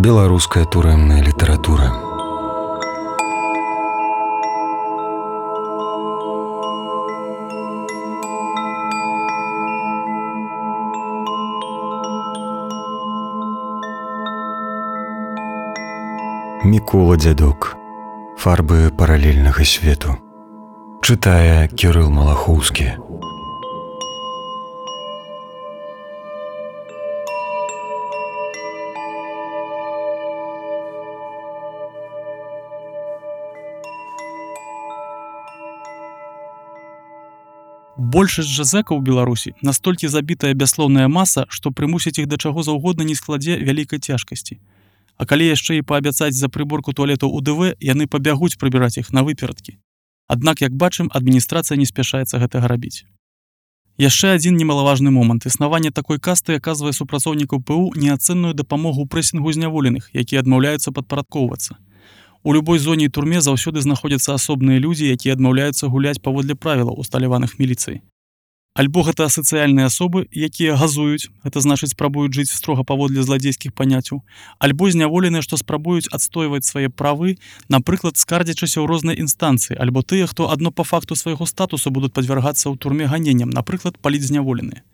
Беларуская турэмная літаратура. Мікола Дзядок. Фарбы паралельнага свету. Чытае Кірыл Малахоўскі. Большасць жа зэкаў у Беларусі настолькі забітая бяслоўная маса, што прымусіць іх да чаго заўгодна не складзе вялікай цяжкасці. А калі яшчэ і паабяцаць за прыборку туалетаў УДВ, яны пабягуць прыбіраць іх на выперадкі. Аднак, як бачым, адміністрацыя не спяшаецца гэтага рабіць. Яшчэ адзін немалаважны момант. Існаванне такой касты аказвае супрацоўнікаў ПУ неацэнную дапамогу ў прэсінгу зняволеных, якія адмаўляюцца падпарадкоўвацца. У любой зоне і турме заўсёды знаходзяцца асобныя людзі, якія адмаўляюцца гуляць паводле правілаў, усталяваных міліцыяй. Альбо гэта асацыяльныя асобы, якія газуюць, гэта значыць спрабуюць жыць строга паводле зладзейскіх паняццяў, альбо зняволеныя, што спрабуюць адстойваць свае правы, напрыклад, скардзячыся ў розныя інстанцыі, альбо тыя, хто адно па факту свайго статусу будуць падвяргацца ў турме ганенням, напрыклад, палітзняволеныя.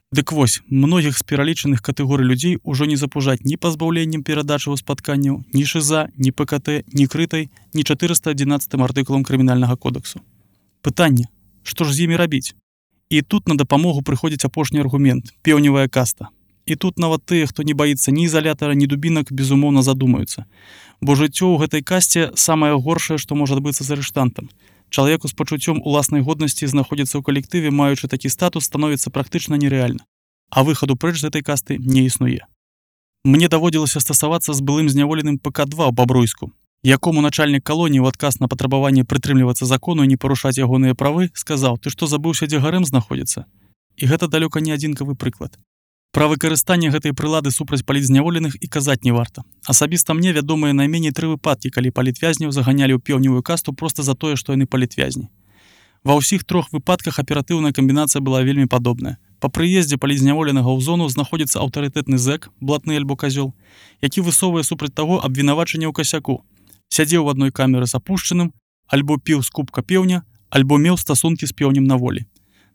Дык вось, многіх з пералічаных катэгорый людзей ужо не запужаць ні пазбаўленнем перадачы ў спатканняў, ні ШИЗА, ні ПКТ, ні крытай, ні 411 артыкулам крымінальнага кодексу. Пытанне, што ж з імі рабіць? І тут на дапамогу прыходзіць апошні аргумент – пеўневая каста. І тут нават тыя, хто не баіцца ні ізалятара, ні дубінак, безумоўна задумаюцца. Бо жыццё ў гэтай касце самае горшае, што можа адбыцца з арыштантам. Чалавеку з пачуццём уласнай годнасці знаходзіцца ў калектыве, маючы такі статус, становіцца практычна нерэальна. А выхаду прэч з гэтай касты не існуе. Мне даводзілася стасавацца з былым зняволеным ПК-2 ў Бабруйску, якому начальнік калоніі ў адказ на патрабаванне прытрымлівацца закону і не парушаць ягоныя правы, сказаў: «Ты што, забыўся, дзе гарэм знаходзіцца?» І гэта далёка не адзінкавы прыклад. Пра выкарыстанне гэтай прылады супраць палітзняволеных і казаць не варта. Асабіста мне вядомыя найменей 3 выпадкі, калі палітвязняў заганялі ў пеўневую касту проста за тое, што яны палітвязні. Ва ўсіх 3 выпадках аператыўная камбінацыя была вельмі падобная. Па прыездзе палітзняволенага ў зону знаходзіцца аўтарытэтны зэк, блатны альбо казёл, які высоўвае супраць таго абвінавачанне ў касяку. Сядзеў у адной камеры з апушчаным, альбо піў з кубка пеўня, альбо меў стасункі з пеўнем на волі.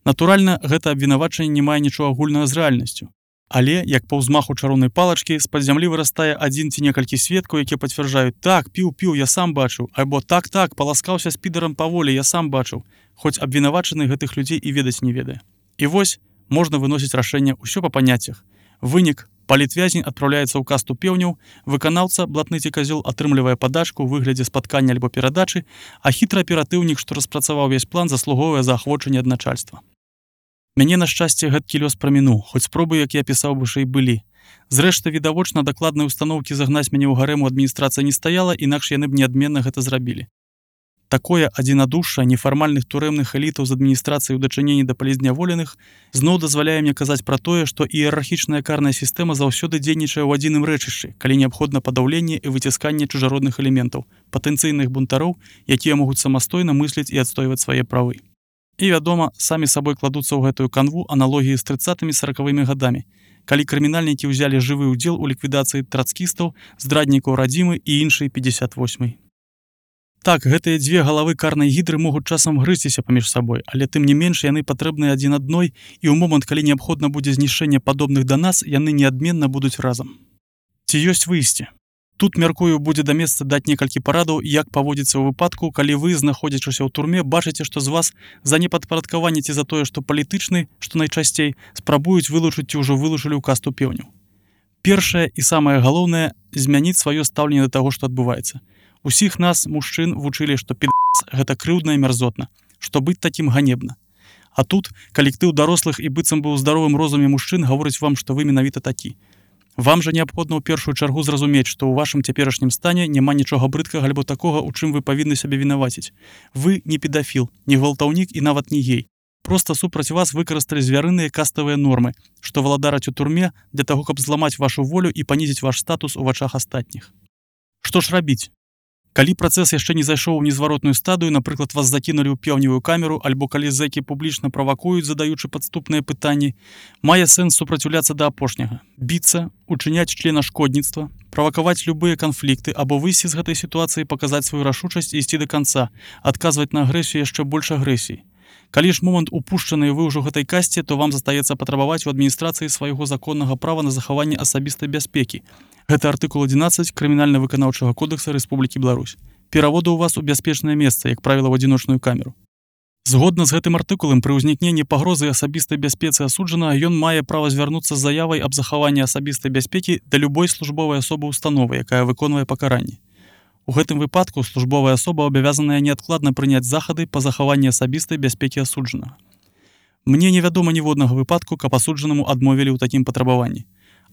Натуральна, гэта абвінавачанне не мае нічога агульнага з рэальнасцю. Але, як па ўзмаху чароўнай палачкі, з-пад зямлі вырастае адзін ці некалькі сведкаў, якія пацвярджаюць: «Так, піў, я сам бачыў», альбо «Так, паласкаўся з підарам па волі, я сам бачыў», хоць абвінавачаны гэтых людзей і ведаць не ведае. І вось, можна выносіць рашэнне ўсё па паняццях. Вынік: палітвязень адпраўляецца ў касту пеўняў, выканаўца, блатны ці казёл, атрымлівае падачку ў выглядзе спаткання альбо перадачы, а хітры аператыўнік, што распрацаваў увесь план, заслугоўвае заахвочанне ад начальства. Мяне, на шчасце, гэткі лёс прамінуў, хоць спробы, як я пісаў, вышэй былі. Зрэшты, відавочна, дакладнай устаноўкі загнаць мяне ў гарэм у адміністрацыі не стаяла, інакш яны б неадменна гэта зрабілі. Такое адзінадушша нефармальных турэмных элітаў з адміністрацыяй у дачыненні да палітзняволеных зноў дазваляе мне казаць пра тое, што іерархічная карная сістэма заўсёды дзейнічае ў адзіным рэчышчы, калі неабходна падаўленне і выцісканне чужародных элементаў, патэнцыйных бунтароў, якія могуць самастойна мысліць і адстойваць свае правы. І, вядома, самі сабой кладуцца ў гэтую канву аналогіі з 30-40-мі гадамі, калі крымінальнікі ўзялі жывы ўдзел у ліквідацыі трацкістаў, здраднікаў радзімы і іншай 58-й. Так, гэтыя 2 галавы карнай гідры могуць часам грызціся паміж сабой, але тым не менш яны патрэбныя адзін адной, і ў момант, калі неабходна будзе знішчэнне падобных да нас, яны неадменна будуць разам. Ці ёсць выйсце? Тут, мяркую, будзе да месца даць некалькі парадаў, як паводзіцца ў выпадку, калі вы, знаходзячыся ў турме, бачыце, што з вас за непадпарадкаванне ці за тое, што палітычны, што найчасцей, спрабуюць вылучыць ці ўжо вылучылі ў касту пеўняў. Першае і самае галоўнае – змяніць сваё стаўленне да таго, што адбываецца. Усіх нас, мужчын, вучылі, што пі***ц – гэта крыўдна і мярзотна, што быць такім ганебна. А тут калектыў дарослых і быццам бы ў здаровым розуме мужчын гаворыць вам, што вы менавіта такі. Вам жа неабходна ў першую чаргу зразумець, што ў вашым цяперашнім стане няма нічога брыдкага альбо такога, у чым вы павінны сябе вінаваціць. Вы не педафіл, не гвалтаўнік і нават не гей. Проста супраць вас выкарысталі звярыныя каставыя нормы, што валадараць у турме для таго, каб зламаць вашу волю і панізіць ваш статус у вачах астатніх. Што ж рабіць? Калі працэс яшчэ не зайшоў у незваротную стадыю, напрыклад, вас закінулі ў пеўневую камеру, альбо калі зэкі публічна правакуюць, задаючы падступныя пытанні, мае сэнс супраціўляцца да апошняга, біцца, учыняць членашкодніцтва, правакаваць любыя канфлікты або выйсці з гэтай сітуацыі, паказаць сваю рашучасць і ісці да канца, адказваць на агрэсію яшчэ больш агрэсіі. Калі ж момант упушчаны вы ўжо гэтай касці, то вам застаецца патрабаваць у адміністрацыі свайго законнага права на захаванне асабістай бяспекі. Гэта артыкул 11 Крымінальна-выканаўчага кодекса Рэспублікі Беларусь. Пераводу ў вас у бяспечнае месца, як правіла, ў адзіночную камеру. Згодна з гэтым артыкулам, пры ўзнікненні пагрозы асабістай бяспецы асуджанага, ён мае права звярнуцца з заявай аб захаванні асабістай бяспекі да любой службовай асобы установы, якая выконвае пакаранне. У гэтым выпадку службовая асоба абавязаная неадкладна прыняць захады па захаванні асабістай бяспекі асуджанага. Мне невядома ніводнага выпадку, каб асуджанаму адмовілі ў такім патрабаванні.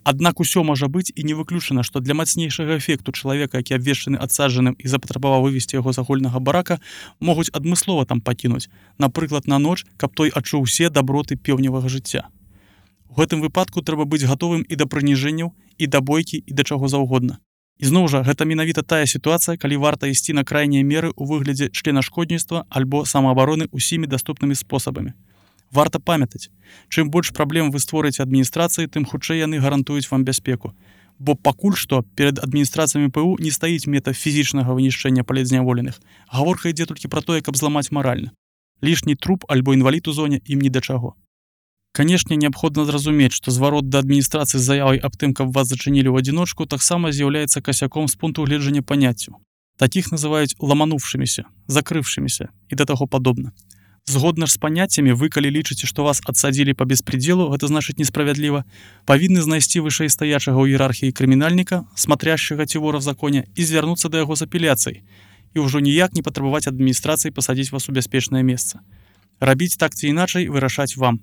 Аднак усё можа быць і не выключана, што для мацнейшага эфекту чалавека, які абвешчаны адсаджаным і запатрабаваў вывесці яго з агульнага барака, могуць адмыслова там пакінуць, напрыклад, на ноч, каб той адчуў усе даброты пеўневага жыцця. У гэтым выпадку трэба быць гатовым і да прыніжэнняў, і да бойкі, і да чаго заўгодна. І зноў жа, гэта менавіта тая сітуацыя, калі варта ісці на крайнія меры ў выглядзе членашкодніцтва альбо самаабароны ўсімі даступнымі спосабамі. Варта памятаць, чым больш праблем вы створыце адміністрацыі, тым хутчэй яны гарантуюць вам бяспеку. Бо пакуль што перад адміністрацыямі ПУ не стаіць мета фізічнага вынішчэння палітзняволеных. Гаворка ідзе толькі пра тое, каб зламаць маральна. Лішні труп альбо інвалід у зоне ім ні да чаго. Канешне, неабходна зразумець, што зварот да адміністрацыі з заявай аб тым, каб вас зачынілі ў адзіночку, таксама з'яўляецца касяком з пункту гледжання паняццяў. Такіх называюць ламануўшыміся, закрыўшыміся і да таго падобна. Згодна ж з паняццямі, вы, калі лічыце, што вас адсадзілі па беспредзелу, гэта значыць несправядліва, павінны знайсці вышэйстаячага ў іерархіі крымінальніка, смотрящага ці вора в законе, і звярнуцца да яго з апеляцыяй, і ўжо ніяк не патрабаваць адміністрацыі пасадзіць вас у бяспечнае месца. Рабіць так ці іначай вырашаць вам.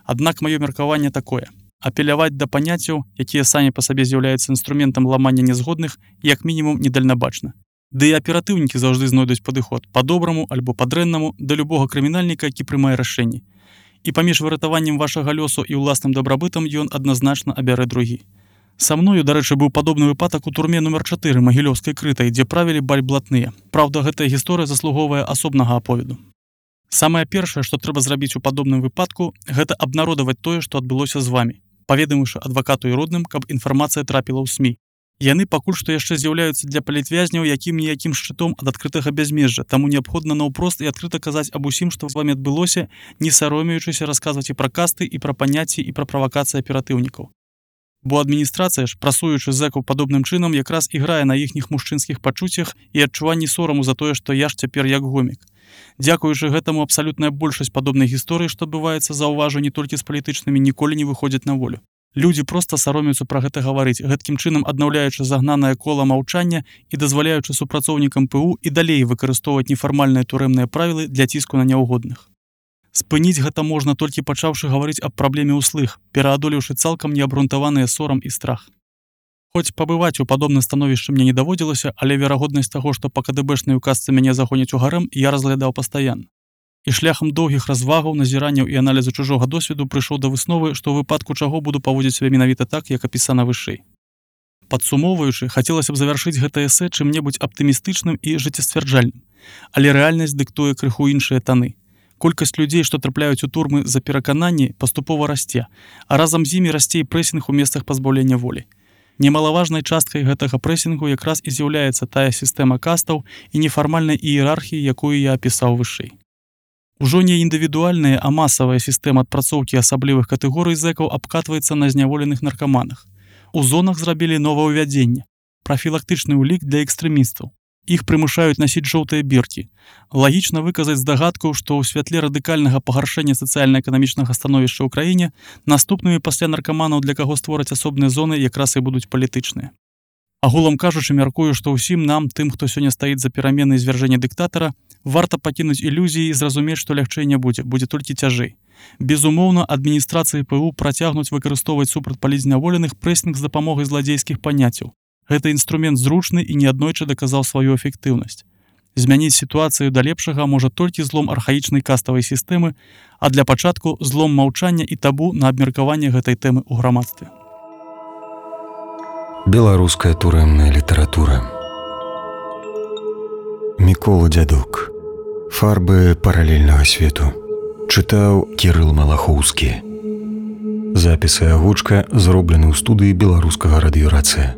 Аднак маё меркаванне такое: апеляваць да паняццяў, якія самі па сабе з'яўляюцца інструментам ламання нязгодных, як мінімум недальнабачна. Ды і аператыўнікі заўжды знойдуць падыход па-добраму альбо па-дрэннаму да любога крымінальніка, які прымае рашэнні. І паміж выратаваннем вашага лёсу і ўласным дабрабытам ён адназначна абярэ другі. Са мною, дарэчы, быў падобны выпадак у турме нумар 4 Магілёўскай крытай, дзе правілі бальблатныя. Праўда, гэтая гісторыя заслугоўвае асобнага аповеду. Самае першае, што трэба зрабіць у падобным выпадку, гэта абнародаваць тое, што адбылося з вамі, паведаміўшы адвакату і родным, каб інфармацыя трапіла ў СМІ. Яны пакуль што яшчэ з'яўляюцца для палітвязняў якім-ніякім шчытом ад адкрытага бязмежжа, таму неабходна наўпрост і адкрыта казаць аб усім, што з вамі адбылося, не саромеючыся расказваць і пра касты, і пра паняцці, і пра правакацыі аператыўнікаў. Бо адміністрацыя ж, прасуючы зэкаў падобным чынам, якраз іграе на іхніх мужчынскіх пачуццях і адчуванні сораму за тое, што я ж цяпер як гомік. Дзякуючы гэтаму абсалютная большасць падобнай гісторыі, што адбываецца, заўважу, не толькі з палітычнымі, ніколі не выходзяць на волю. Людзі проста саромеюцца пра гэта гаварыць, гэткім чынам аднаўляючы загнанае кола маўчання і дазваляючы супрацоўнікам ПУ і далей выкарыстоўваць нефармальныя турэмныя правілы для ціску на няўгодных. Спыніць гэта можна толькі пачаўшы гаварыць аб праблеме ўслых, пераадолеўшы цалкам неабрунтаваныя сорам і страх. Хоць пабываць у падобным становішчы мне не даводзілася, але верагоднасць таго, што па КДБшнай указцы мяне загоняць у гарэм, я разглядаў пастаянна. І шляхам доўгіх развагаў, назіранняў і аналізу чужога досведу прыйшоў да высновы, што ў выпадку чаго буду паводзіць сябе менавіта так, як апісана вышэй. Падсумоўваючы, хацелася б завяршыць гэта эсэ чым-небудзь аптымістычным і жыццесцвярджальным, але рэальнасць дыктуе крыху іншыя таны. Колькасць людзей, што трапляюць у турмы за перакананні, паступова расце, а разам з імі расце і прэсінг у месцах пазбаўлення волі. Немалаважнай часткай гэтага прэсінгу якраз і з'яўляецца тая сістэма кастаў і нефармальнай іерархіі, якую я апісаў вышэй. Ужо не індывідуальная, а масавая сістэма адпрацоўкі асаблівых катэгорый зэкаў абкатваецца на зняволеных наркаманах. У зонах зрабілі новаўвядзенне, прафілактычны ўлік для экстрэмістаў. Іх прымушаюць насіць жоўтыя біркі. Лагічна выказаць здагадку, што ў святле радыкальнага пагаршэння сацыяльна-эканамічнага становішча ў краіне наступнымі пасля наркаманаў, для каго створаць асобныя зоны, якраз і будуць палітычныя. Агулам кажучы, мяркую, што ўсім нам, тым, хто сёння стаіць за перамены і звяржэння дыктатара, варта пакінуць ілюзіі і зразумець, што лягчэй не будзе толькі цяжэй. Безумоўна, адміністрацыі ПУ працягнуць выкарыстоўваць супраць палітзняволеных прэсінг з дапамогай зладзейскіх паняццяў. Гэта інструмент зручны і неаднойчы даказаў сваю эфектыўнасць. Змяніць сітуацыю да лепшага можа толькі злом архаічнай каставай сістэмы, а для пачатку злом маўчання і табу на абмеркаванне гэтай тэмы ў грамадстве. Беларуская турэмная літаратура. Мікола Дзядок. Фарбы паралельнага свету. Чытаў Кірыл Малахоўскі. Запіс і агучка зроблены ў студыі беларускага радыёрацыя.